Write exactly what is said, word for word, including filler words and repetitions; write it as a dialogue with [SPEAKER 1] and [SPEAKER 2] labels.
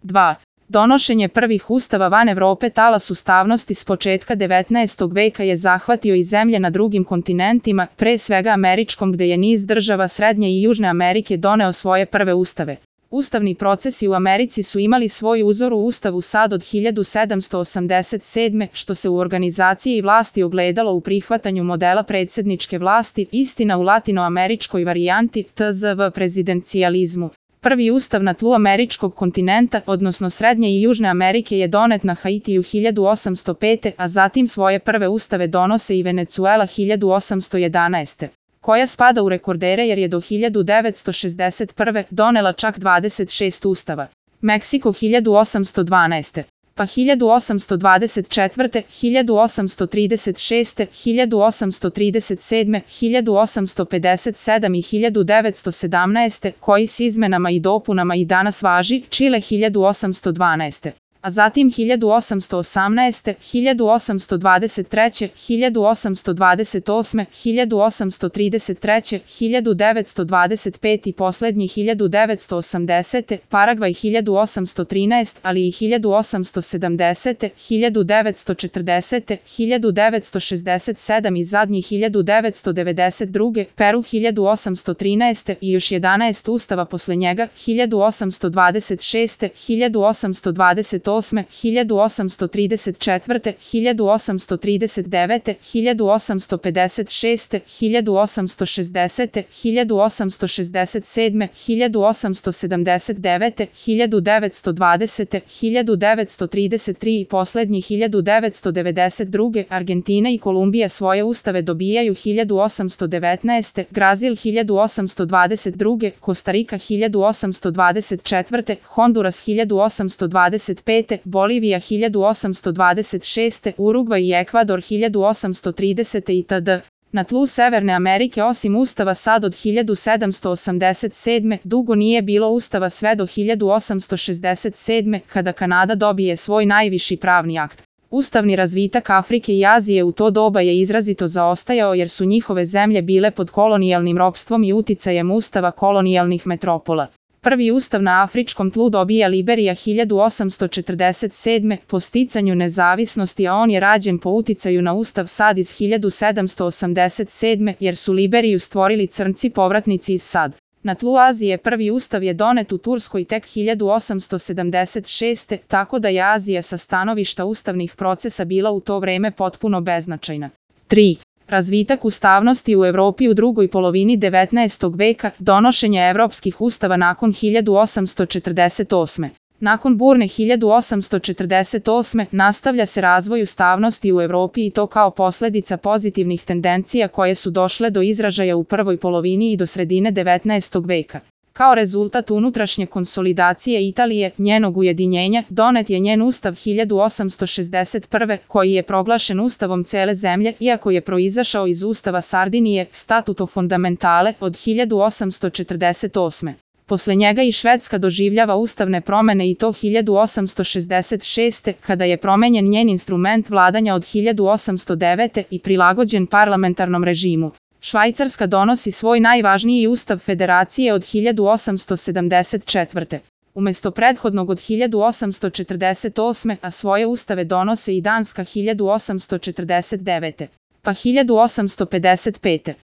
[SPEAKER 1] dva. Donošenje prvih ustava van Evrope. Talas ustavnosti s početka devetnaestog veka je zahvatio i zemlje na drugim kontinentima, pre svega američkom, gde je niz država Srednje i Južne Amerike doneo svoje prve ustave. Ustavni procesi u Americi su imali svoj uzor u Ustavu SAD od hiljadu sedamsto osamdeset sedme. što se u organizaciji vlasti ogledalo u prihvatanju modela predsjedničke vlasti, istina u latinoameričkoj varijanti, T Z V prezidencijalizmu. Prvi ustav na tlu američkog kontinenta, odnosno Srednje i Južne Amerike, je donet na Haitiju hiljadu osamsto pete. a zatim svoje prve ustave donose i Venecuela hiljadu osamsto jedanaeste. koja spada u rekordere jer je do hiljadu devetsto šezdeset prve. donela čak dvadeset šest ustava. Meksiko hiljadu osamsto dvanaeste. pa hiljadu osamsto dvadeset četvrte. hiljadu osamsto trideset šeste. hiljadu osamsto trideset sedme. hiljadu osamsto pedeset sedme. i hiljadu devetsto sedamnaeste. koji s izmenama i dopunama i danas važi. Čile hiljadu osamsto dvanaeste. a zatim hiljadu osamsto osamnaeste. hiljadu osamsto dvadeset treće. hiljadu osamsto dvadeset osme. hiljadu osamsto trideset treće. hiljadu devetsto dvadeset pete. i poslednji hiljadu devetsto osamdesete. Paragvaj hiljadu osamsto trinaeste. ali i hiljadu osamsto sedamdesete. hiljadu devetsto četrdesete. hiljadu devetsto šezdeset sedme. i zadnji hiljadu devetsto devedeset druge. Peru hiljadu osamsto trinaeste. i još jedanaest ustava posle njega. hiljadu osamsto dvadeset šeste. hiljadu osamsto dvadeset osme. hiljadu osamsto trideset četvrte. hiljadu osamsto trideset devete. hiljadu osamsto pedeset šeste. hiljadu osamsto šezdesete. hiljadu osamsto šezdeset sedme. hiljadu osamsto sedamdeset devete. hiljadu devetsto dvadesete. hiljadu devetsto trideset tri. i poslednji hiljadu devetsto devedeset druge. Argentina i Kolumbija svoje ustave dobijaju hiljadu osamsto devetnaeste. Brazil hiljadu osamsto dvadeset druge. Kostarika hiljadu osamsto dvadeset četvrte. Honduras hiljadu osamsto dvadeset pete. Bolivija hiljadu osamsto dvadeset šeste. Urugvaj i Ekvador hiljadu osamsto tridesete. itd. Na tlu Severne Amerike osim ustava SAD od hiljadu sedamsto osamdeset sedme. dugo nije bilo ustava sve do hiljadu osamsto šezdeset sedme. kada Kanada dobije svoj najviši pravni akt. Ustavni razvitak Afrike i Azije u to doba je izrazito zaostajao jer su njihove zemlje bile pod kolonijalnim ropstvom i uticajem ustava kolonijalnih metropola. Prvi ustav na afričkom tlu dobija Liberija hiljadu osamsto četrdeset sedme. po sticanju nezavisnosti, a on je rađen po uticaju na ustav SAD iz hiljadu sedamsto osamdeset sedme. jer su Liberiju stvorili crnci povratnici iz SAD. Na tlu Azije prvi ustav je donet u Turskoj tek hiljadu osamsto sedamdeset šeste. tako da je Azija sa stanovišta ustavnih procesa bila u to vreme potpuno beznačajna. tri. Razvitak ustavnosti u Evropi u drugoj polovini devetnaestog veka, donošenje evropskih ustava nakon hiljadu osamsto četrdeset osme. Nakon burne hiljadu osamsto četrdeset osme. nastavlja se razvoj ustavnosti u Evropi i to kao posljedica pozitivnih tendencija koje su došle do izražaja u prvoj polovini i do sredine devetnaestog veka. Kao rezultat unutrašnje konsolidacije Italije, njenog ujedinjenja, donet je njen ustav hiljadu osamsto šezdeset prve. koji je proglašen ustavom cele zemlje, iako je proizašao iz ustava Sardinije, Statuto Fondamentale, od hiljadu osamsto četrdeset osme. Posle njega i Švedska doživljava ustavne promene i to hiljadu osamsto šezdeset šeste. kada je promenjen njen instrument vladanja od hiljadu osamsto devete. i prilagođen parlamentarnom režimu. Švajcarska donosi svoj najvažniji ustav federacije od hiljadu osamsto sedamdeset četvrte. Umesto prethodnog od hiljadu osamsto četrdeset osme. a svoje ustave donose i Danska hiljadu osamsto četrdeset devete. pa hiljadu osamsto pedeset pete.